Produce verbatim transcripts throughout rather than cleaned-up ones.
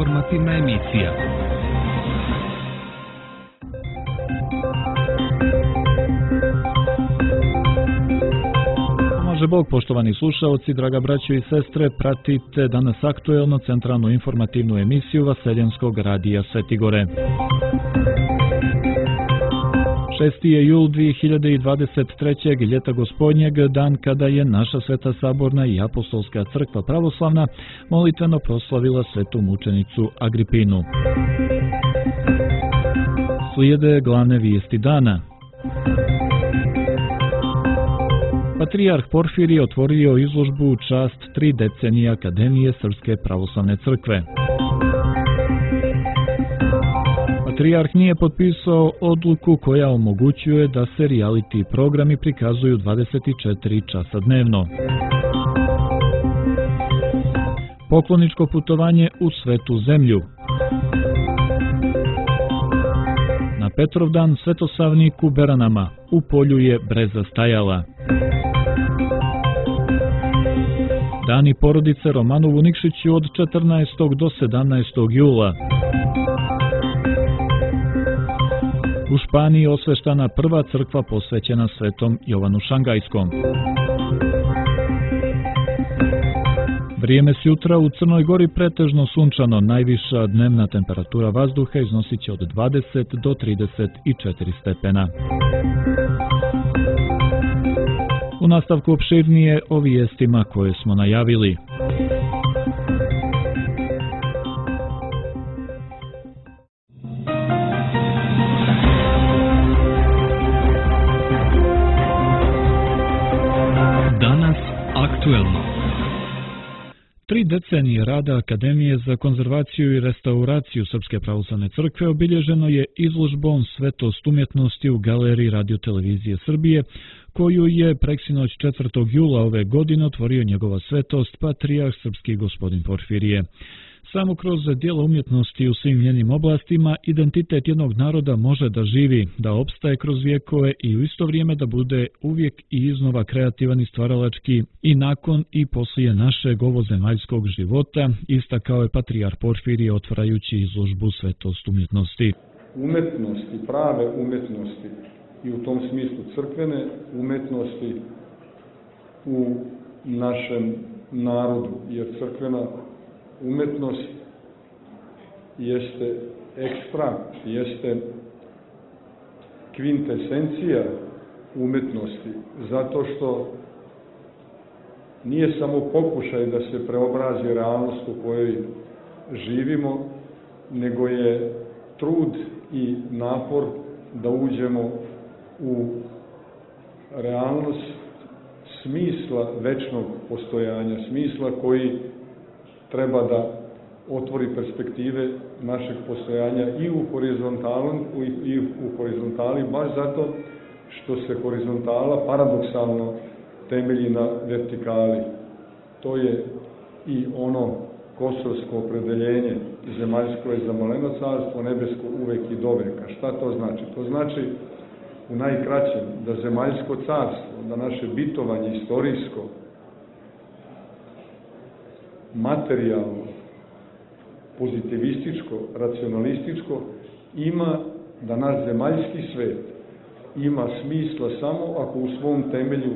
Informativna emisija. Pomaže Bog, poštovani slušaoci, draga braćo i sestre, pratite danas aktuelno centralnu informativnu emisiju Vaseljenskog radija Svetigore. šesti je jul dvije hiljade dvadeset treće. ljeta gospodnjeg, dan kada je naša Sveta Saborna i Apostolska crkva pravoslavna molitveno proslavila svetu mučenicu Agripinu. Slijede glavne vijesti dana. Patrijarh Porfirije otvorio izložbu u čast tri decenije Akademije Srpske pravoslavne crkve. Patrijarh nije potpisao odluku koja omogućuje da se reality programi prikazuju dvadeset četiri časa dnevno. Pokloničko putovanje u Svetu zemlju. Na Petrovdan svetosavnik u Beranama, u polju je breza stajala. Dani porodice Romanovu Nikšiću od četrnaestog do sedamnaestog jula. U Španiji osveštana prva crkva posvećena svetom Jovanu Šangajskom. Vrijeme s jutra u Crnoj Gori pretežno sunčano, najviša dnevna temperatura vazduha iznosit će od dvadeset do trideset četiri stepena. U nastavku opširnije o vijestima koje smo najavili. Danas aktuelno. Tri decenije rada Akademije za konzervaciju i restauraciju Srpske pravoslavne crkve obilježeno je izložbom Svetost umjetnosti u Galeriji Radio-televizije Srbije, koju je preksinoć četvrtog jula ove godine otvorio njegova svetost Patrijarh Srpski gospodin Porfirije. Samo kroz djela umjetnosti u svim njenim oblastima identitet jednog naroda može da živi, da opstaje kroz vjekove i u isto vrijeme da bude uvijek i iznova kreativan i stvaralački i nakon i poslije našeg ovozemaljskog života, istakao je Patrijarh Porfirije otvarajući izložbu Svetost umjetnosti. Umjetnosti, prave umjetnosti i u tom smislu crkvene umjetnosti u našem narodu, jer crkvena umjetnost jeste ekstrakt, jeste kvintesencija umjetnosti, zato što nije samo pokušaj da se preobrazi realnost u kojoj živimo, nego je trud i napor da uđemo u realnost smisla večnog postojanja, smisla koji treba da otvori perspektive našeg postojanja i u horizontali, i u horizontali baš zato što se horizontala paradoksalno temelji na vertikali. To je i ono kosovsko opredeljenje, zemaljsko je za maleno carstvo, nebesko uvek i doveka. Šta to znači? To znači u najkraćem da zemaljsko carstvo, da naše bitovanje istorijsko, materijalno, pozitivističko, racionalističko, ima da naš zemaljski svet ima smisla samo ako u svom temelju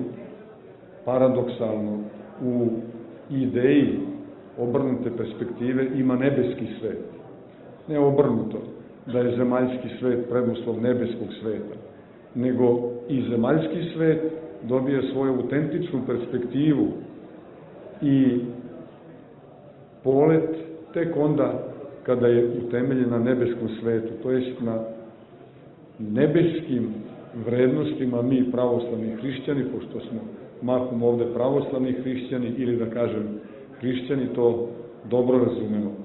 paradoksalno u ideji obrnute perspektive ima nebeski svet. Ne obrnuto, da je zemaljski svet preduslov nebeskog sveta, nego i zemaljski svet dobije svoju autentičnu perspektivu i polet tek onda kada je utemeljen na nebeskom svetu, to jest na nebeskim vrednostima mi pravoslavni hrišćani, pošto smo mahom ovde pravoslavni hrišćani ili da kažem hrišćani, to dobro razumemo.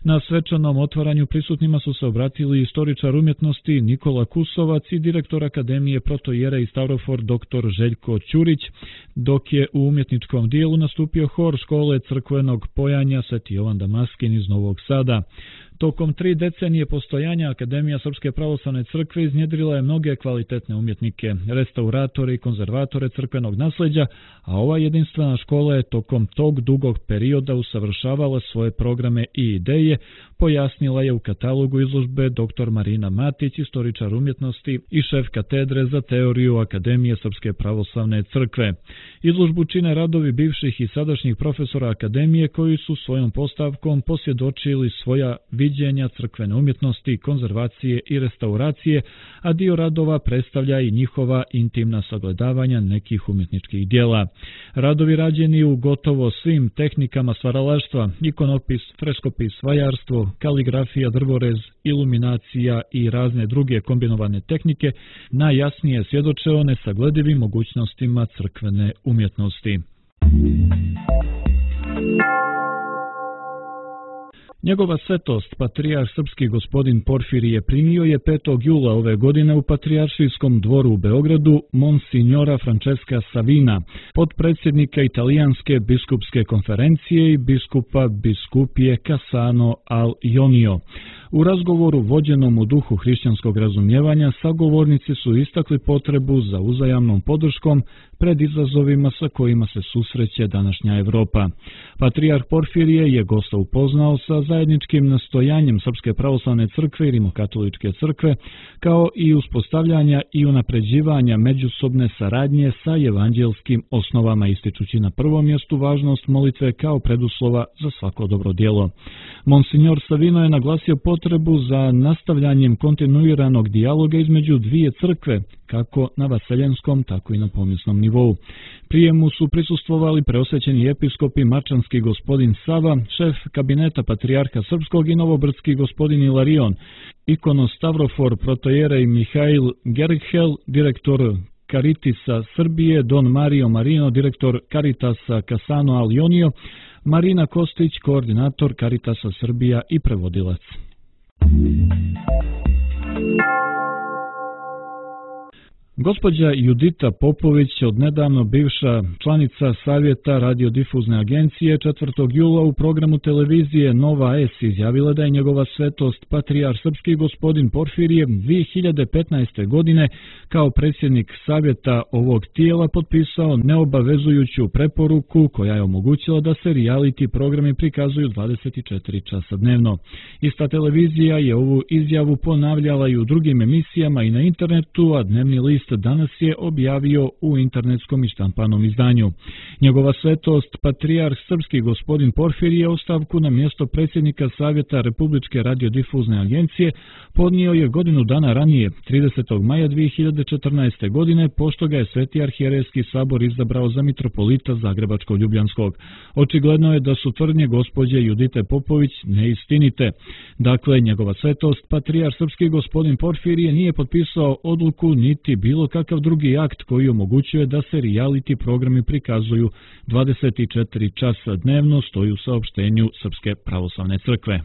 Na svečanom otvaranju prisutnima su se obratili istoričar umjetnosti Nikola Kusovac i direktor Akademije protoijerej Stavrofor dr. Željko Ćurić, dok je u umjetničkom dijelu nastupio hor škole crkvenog pojanja Sveti Jovan Damaskin iz Novog Sada. Tokom tri decenije postojanja Akademija Srpske pravoslavne crkve iznjedrila je mnoge kvalitetne umjetnike, restauratore i konzervatore crkvenog nasleđa, a ova jedinstvena škola je tokom tog dugog perioda usavršavala svoje programe i ideje, pojasnila je u katalogu izložbe dr. Marina Matić, istoričar umjetnosti i šef katedre za teoriju Akademije Srpske pravoslavne crkve. Izložbu čine radovi bivših i sadašnjih profesora Akademije koji su svojom postavkom posvjedočili svoja viđenja crkvene umjetnosti, konzervacije i restauracije, a dio radova predstavlja i njihova intimna sagledavanja nekih umjetničkih dijela. Radovi rađeni u gotovo svim tehnikama stvaralaštva, ikonopis, freskopis, vajarstvo, kaligrafija, drvorez, iluminacija i razne druge kombinovane tehnike najjasnije svjedoče o nesagledivim mogućnostima crkvene umjetnosti. Njegova svetost, patrijarh srpski gospodin Porfirije, primio je petog jula ove godine u Patrijaršijskom dvoru u Beogradu Monsignora Francesca Savina, potpredsjednika Italijanske biskupske konferencije i biskupa biskupije Cassano al Ionio. U razgovoru vođenom u duhu hrišćanskog razumijevanja sagovornici su istakli potrebu za uzajamnom podrškom pred izazovima sa kojima se susreće današnja Evropa. Patrijarh Porfirije je gosta upoznao sa zajedničkim nastojanjem Srpske pravoslavne crkve i Rimokatoličke crkve, kao i uspostavljanja i unapređivanja međusobne saradnje sa evanđelskim osnovama, ističući na prvom mjestu važnost molitve kao preduslova za svako dobro djelo. Monsignor Savino je naglasio potrebu za nastavljanjem kontinuiranog dijaloga između dvije crkve, kako na vaseljenskom, tako i na pomisnom nivou. Prijemu su prisustvovali preosvećeni episkopi Mačanski gospodin Sava, šef kabineta patrijarha srpskog, i novobrdski gospodin Ilarion, ikonostavrofor protojerej Mihail Gerghel, direktor Caritisa Srbije, don Mario Marino, direktor Caritasa Cassano al Ionio, Marina Kostić, koordinator Caritasa Srbija i prevodilac. Gospođa Judita Popović, odnedavno bivša članica Savjeta radiodifuzne agencije, četvrtog jula u programu televizije Nova S izjavila da je njegova svetost patrijarh srpski gospodin Porfirije dvije hiljade petnaeste. godine kao predsjednik Savjeta ovog tijela potpisao neobavezujuću preporuku koja je omogućila da se reality programi prikazuju dvadeset četiri časa dnevno. Ista televizija je ovu izjavu ponavljala i u drugim emisijama i na internetu, a dnevni list danas je objavio u internetskom i štampanom izdanju. Njegova svetost, patrijarh srpski gospodin Porfirije, ostavku na mjesto predsjednika Savjeta Republičke radiodifuzne agencije podnio je godinu dana ranije, tridesetog maja dvije hiljade četrnaeste. godine, pošto ga je Sveti arhijerejski sabor izabrao za mitropolita Zagrebačko-Ljubljanskog. Očigledno je da su tvrdnje gospođe Judite Popović neistinite. Dakle, njegova svetost, patrijarh srpski gospodin Porfirije, nije potpisao odluku niti bilo kakav drugi akt koji omogućuje da se reality programi prikazuju dvadeset četiri časa dnevno, stoji u saopštenju Srpske pravoslavne crkve.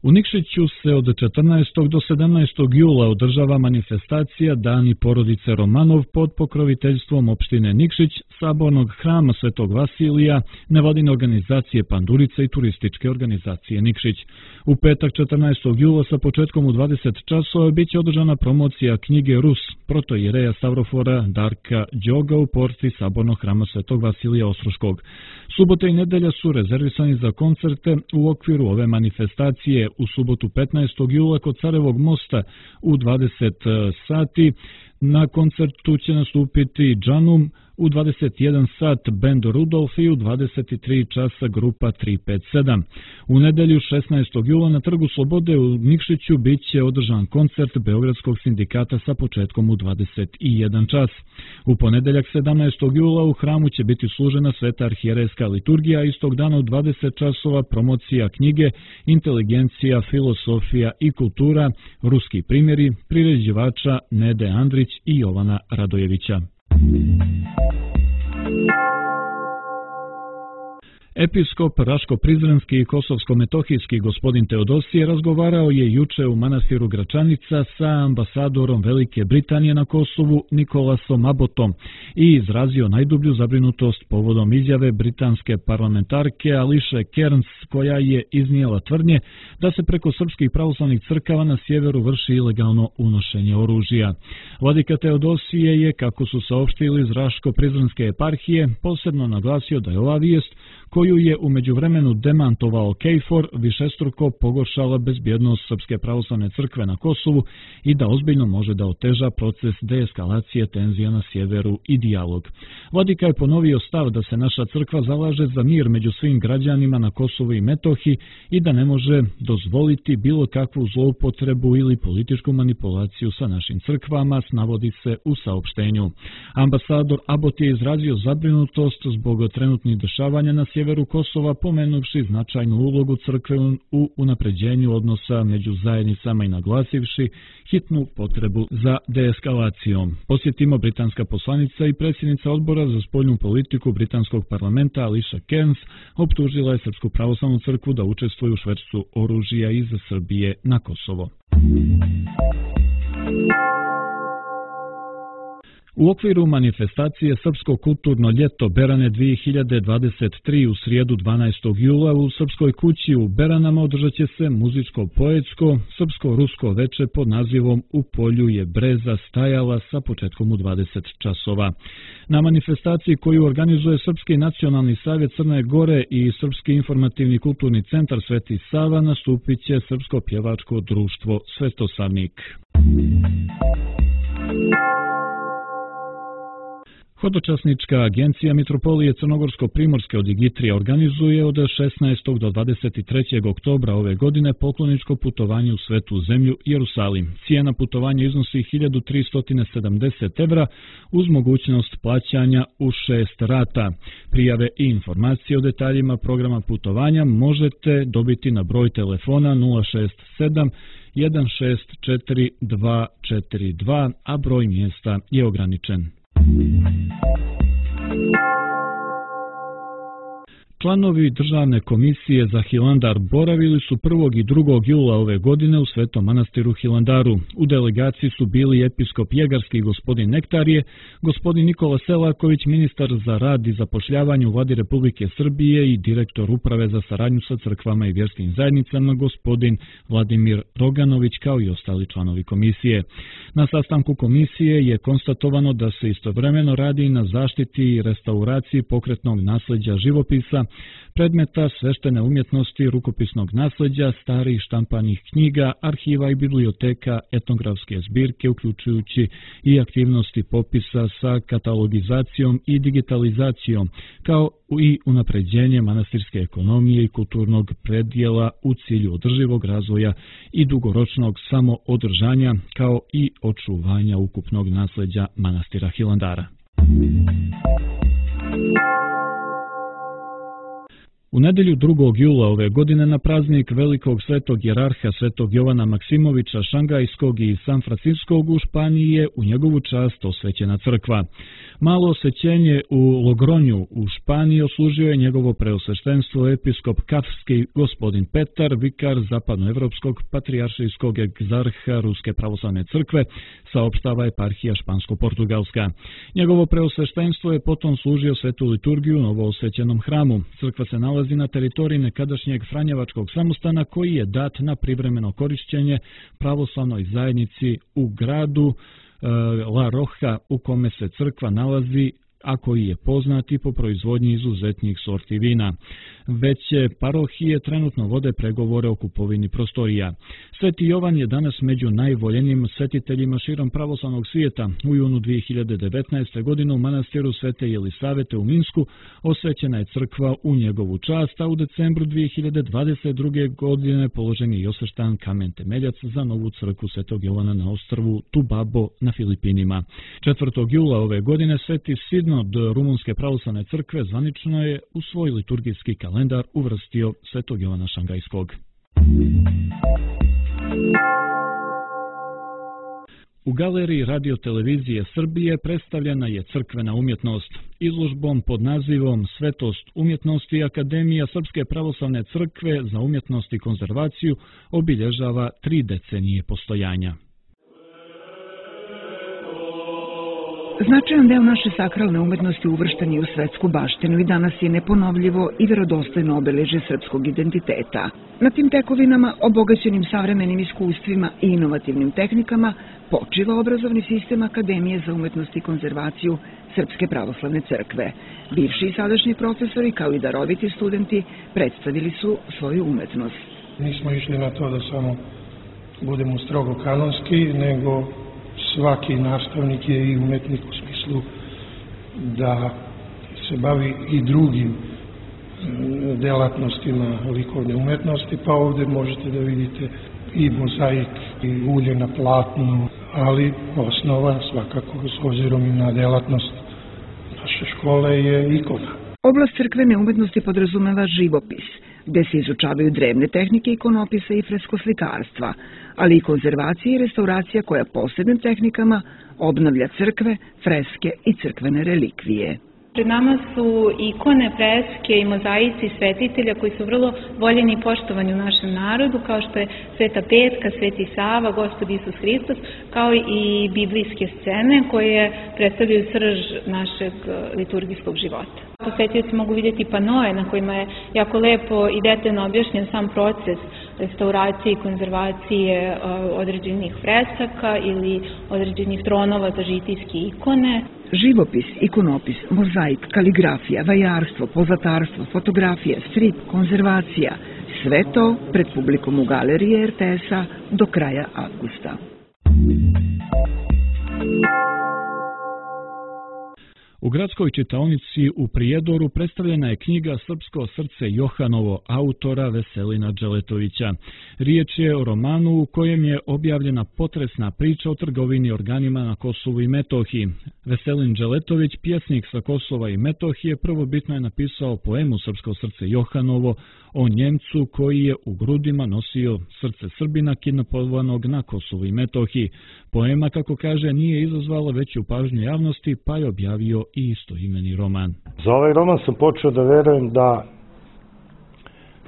U Nikšiću se od četrnaestog do sedamnaestog jula održava manifestacija Dani porodice Romanov pod pokroviteljstvom opštine Nikšić, Sabornog hrama Svetog Vasilija, nevladine organizacije Pandurica i turističke organizacije Nikšić. U petak četrnaestog jula sa početkom u dvadeset časova bit će održana promocija knjige Rus, protoijereja Stavrofora Darka Đoga u porti Sabornog hrama Svetog Vasilija Ostroškog. Subota i nedelja su rezervisani za koncerte u okviru ove manifestacije. U subotu petnaestog jula kod Carevog mosta u dvadeset sati na koncertu će nastupiti Džanum, u dvadeset jedan sat bend Rudolf i u dvadeset tri časa grupa tri pet sedam. U nedelju šesnaestog jula na Trgu Slobode u Nikšiću bit će održan koncert Beogradskog sindikata sa početkom u dvadeset jedan čas. U ponedeljak sedamnaestog jula u hramu će biti služena Sveta arhijerejska liturgija, istog dana u dvadeset časova promocija knjige Inteligencija, filosofija i kultura, ruski primjeri, priređivača Nede Andrić i Jovana Radojevića. Episkop Raško-Prizrenski i Kosovsko-Metohijski gospodin Teodosije razgovarao je juče u manastiru Gračanica sa ambasadorom Velike Britanije na Kosovu Nikolasom Abbotom i izrazio najdublju zabrinutost povodom izjave britanske parlamentarke Ališe Kearns, koja je iznijela tvrdnje da se preko srpskih pravoslavnih crkava na sjeveru vrši ilegalno unošenje oružja. Vladika Teodosije je, kako su saopštili iz Raško-Prizrenske eparhije, posebno naglasio da je ova vijest, koju je u međuvremenu demantovao KFOR, višestruko pogoršala bezbjednost Srpske pravoslavne crkve na Kosovu i da ozbiljno može da oteža proces deeskalacije tenzija na sjeveru i dijalog. Vladika je ponovio stav da se naša crkva zalaže za mir među svim građanima na Kosovu i Metohiji i da ne može dozvoliti bilo kakvu zloupotrebu ili političku manipulaciju sa našim crkvama, navodi se u saopštenju. Ambasador Abbot je izrazio zabrinutost zbog trenutnih dešavanja na sjeveru Kosova, pomenuvši značajnu ulogu crkve u unapređenju odnosa među zajednicama i naglasivši hitnu potrebu za deeskalacijom. Posjetimo, britanska poslanica i predsjednica odbora za spoljnu politiku britanskog parlamenta Ališa Kearns optužila je Srpsku pravoslavnu crkvu da učestvuje u švercu oružja iz Srbije na Kosovo. U okviru manifestacije Srpsko kulturno ljeto Berane dvije hiljade dvadeset tri u srijedu dvanaestog jula u Srpskoj kući u Beranama održat će se muzičko-poetsko srpsko-rusko veče pod nazivom U polju je breza stajala sa početkom u dvadeset časova. Na manifestaciji koju organizuje Srpski nacionalni savjet Crne Gore i Srpski informativni kulturni centar Sveti Sava nastupit će Srpsko pjevačko društvo Svetosavnik. Hodočasnička agencija Mitropolije Crnogorsko-Primorske od Igitrija organizuje od šesnaestog do dvadeset trećeg oktobra ove godine pokloničko putovanje u Svetu zemlju Jerusalim. Cijena putovanja iznosi hiljadu tristo sedamdeset evra uz mogućnost plaćanja u šest rata. Prijave i informacije o detaljima programa putovanja možete dobiti na broj telefona nula šest sedam jedan šest četiri dva četiri dva, a broj mjesta je ograničen. Članovi Državne komisije za Hilandar boravili su prvog i drugog jula ove godine u Svetom manastiru Hilandaru. U delegaciji su bili episkop Jegarski gospodin Nektarije, gospodin Nikola Selaković, ministar za rad i zapošljavanje u Vladi Republike Srbije i direktor uprave za saradnju sa crkvama i vjerskim zajednicama gospodin Vladimir Roganović, kao i ostali članovi komisije. Na sastanku komisije je konstatovano da se istovremeno radi na zaštiti i restauraciji pokretnog nasljeđa živopisa, predmeta sveštene umjetnosti, rukopisnog nasljeđa, starih štampanih knjiga, arhiva i biblioteka, etnografske zbirke, uključujući i aktivnosti popisa sa katalogizacijom i digitalizacijom, kao i unapređenje manastirske ekonomije i kulturnog predjela u cilju održivog razvoja i dugoročnog samoodržanja, kao i očuvanja ukupnog nasljeđa manastira Hilandara. U nedjelju drugog jula ove godine na praznik velikog svetog jerarha svetog Jovana Maksimovića Šangajskog i San Francisskog u Španiji je u njegovu čast osvećena crkva. Malo osvećenje u Logronju u Španiji oslužio je njegovo preosveštenstvo episkop Kafski gospodin Petar, vikar zapadnoevropskog patrijaršijskog egzarha Ruske pravoslavne crkve, saopštava eparhija Špansko-Portugalska. Njegovo preosveštenstvo je potom služio svetu liturgiju u novoosvećenom hramu. Crkva se nalazi na teritoriji nekadašnjeg Franjevačkog samostana koji je dat na privremeno korišćenje pravoslavnoj zajednici u gradu La Roja, u kome se crkva nalazi, a koji je poznat i po proizvodnji izuzetnih sorti vina. Veće parohije trenutno vode pregovore o kupovini prostorija. Sveti Jovan je danas među najvoljenijim svetiteljima širom pravoslavnog svijeta. U junu dvije hiljade devetnaeste. godine u manastiru Svete Jelisavete u Minsku osvećena je crkva u njegovu čast, a u decembru dvije hiljade dvadeset druge. godine položen je i osveštan kamen temeljac za novu crkvu Svetog Jovana na ostrvu Tubabo na Filipinima. četvrtog jula ove godine Sveti Sinod Rumunske pravoslavne crkve zvanično je u svoj liturgijski kalendar uvrstio Svetog Jovana Šangajskog. U galeriji Radio televizije Srbije predstavljena je crkvena umjetnost. izložbom pod nazivom Svetost umjetnosti Akademija Srpske pravoslavne crkve za umjetnost i konzervaciju obilježava tri decenije postojanja. Značajan deo naše sakralne umetnosti uvršten je u svetsku baštinu i danas je neponovljivo i vjerodostojno obeležje srpskog identiteta. Na tim tekovinama, obogaćenim savremenim iskustvima i inovativnim tehnikama, počiva obrazovni sistem Akademije za umetnost i konzervaciju Srpske pravoslavne crkve. Bivši i sadašnji profesori, kao i daroviti studenti, predstavili su svoju umetnost. Nismo išli na to da samo budemo strogo kanonski, nego svaki nastavnik je i umetnik u smislu da se bavi i drugim delatnostima likovne umetnosti, pa ovdje možete da vidite i mozaik i ulje na platnu, ali osnova svakako s obzirom i na delatnost naše škole je ikona. Oblast crkvene umetnosti podrazumeva živopis, gde se izučavaju drevne tehnike ikonopisa i freskoslikarstva, ali i konzervacija i restauracija koja posebnim tehnikama obnavlja crkve, freske i crkvene relikvije. Pred nama su ikone, freske i mozaici svetitelja koji su vrlo voljeni i poštovani u našem narodu, kao što je Sveta Petka, Sveti Sava, Gospod Isus Hristos, kao i biblijske scene koje predstavljaju srž našeg liturgijskog života. Posetioci mogu vidjeti panoe na kojima je jako lepo i detaljno objašnjen sam proces restauracije i konzervacije određenih fresaka ili određenih tronova za žitijske ikone. Živopis, ikonopis, mozaik, kaligrafija, vajarstvo, pozatarstvo, fotografija, strip, konzervacija, sve to pred publikom u galeriji er te es-a do kraja avgusta. U gradskoj čitaonici u Prijedoru predstavljena je knjiga Srpsko srce Johanovo autora Veselina Dželetovića. Riječ je o romanu u kojem je objavljena potresna priča o trgovini organima na Kosovu i Metohiji. Veselin Dželetović, pjesnik sa Kosova i Metohije, prvobitno je napisao poemu Srpsko srce Johanovo o Njemcu koji je u grudima nosio srce Srbina kidnapovanog na Kosovu i Metohiji. Poema, kako kaže, nije izazvala veću pažnju javnosti, pa je objavio i istoimeni roman. Za ovaj roman sam počeo da verujem da,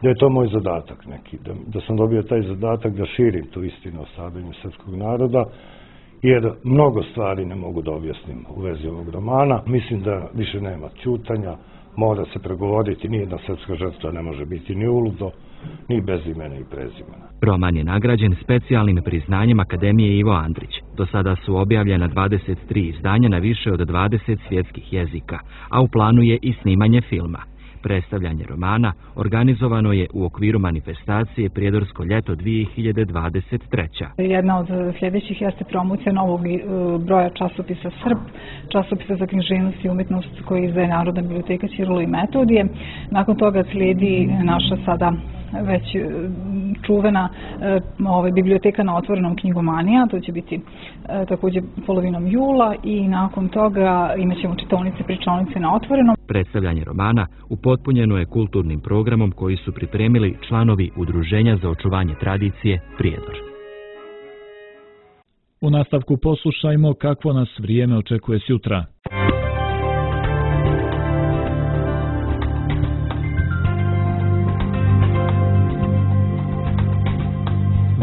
da je to moj zadatak neki, da, da sam dobio taj zadatak da širim tu istinu o stradanju srpskog naroda, jer mnogo stvari ne mogu da objasnim u vezi ovog romana. Mislim da više nema ćutanja, mora se pregovoriti, nijedna srpska žrtva ne može biti ni uludo, ni bez imena i prezimena. Roman je nagrađen specijalnim priznanjem Akademije Ivo Andrić. Do sada su objavljena dvadeset tri izdanja na više od dvadeset svjetskih jezika, a u planu je i snimanje filma. Predstavljanje romana organizovano je u okviru manifestacije Prijedorsko ljeto dvije hiljade dvadeset treće. Jedna od sljedećih jeste promocija novog broja časopisa Srb, časopisa za književnost i umjetnost koji izdaje Narodna biblioteka Ćirilo i Metodije. Nakon toga slijedi naša sada već čuvena ovaj, biblioteka na otvorenom knjigomanija, to će biti također polovinom jula i nakon toga imat ćemo čitaonice, pričaonice na otvorenom. Predstavljanje romana upotpunjeno je kulturnim programom koji su pripremili članovi Udruženja za očuvanje tradicije Prijedor. U nastavku poslušajmo kakvo nas vrijeme očekuje sutra.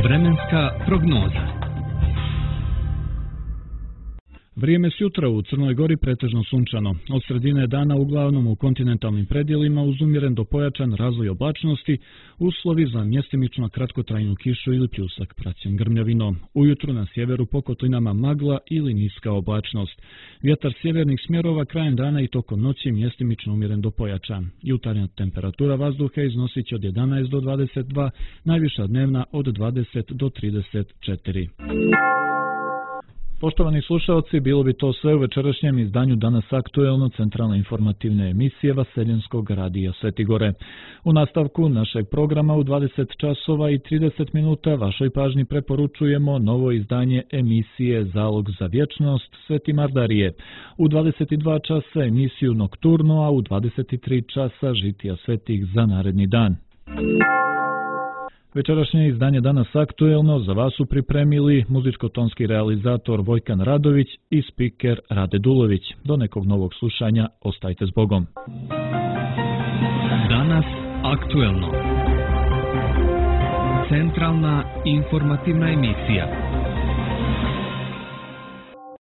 Vremenska prognoza. Vrijeme sutra u Crnoj Gori pretežno sunčano. Od sredine dana uglavnom u kontinentalnim predjelima uz umjeren do pojačan razvoj oblačnosti, uslovi za mjestimično kratkotrajnu kišu ili pljusak praćen grmljavinom. Ujutru na sjeveru po kotlinama magla ili niska oblačnost. Vjetar sjevernih smjerova krajem dana i tokom noći mjestimično umjeren do pojačan. Jutarnja temperatura vazduha iznosit će od jedanaest do dvadeset dva, najviša dnevna od dvadeset do trideset četiri. Poštovani slušalci, bilo bi to sve u večerašnjem izdanju Danas aktuelno centralne informativne emisije Vaseljenskog radija Svetigore. U nastavku našeg programa u dvadeset časova i trideset minuta vašoj pažnji preporučujemo novo izdanje emisije Zalog za vječnost Sveti Mardarije. U dvadeset dva časa emisiju Nokturno, a u dvadeset tri časa Žitija svetih za naredni dan. Večerašnje izdanje Danas aktuelno za vas su pripremili muzičko-tonski realizator Vojkan Radović i spiker Rade Dulović. Do nekog novog slušanja, ostajte s Bogom. Danas aktuelno. Centralna informativna emisija.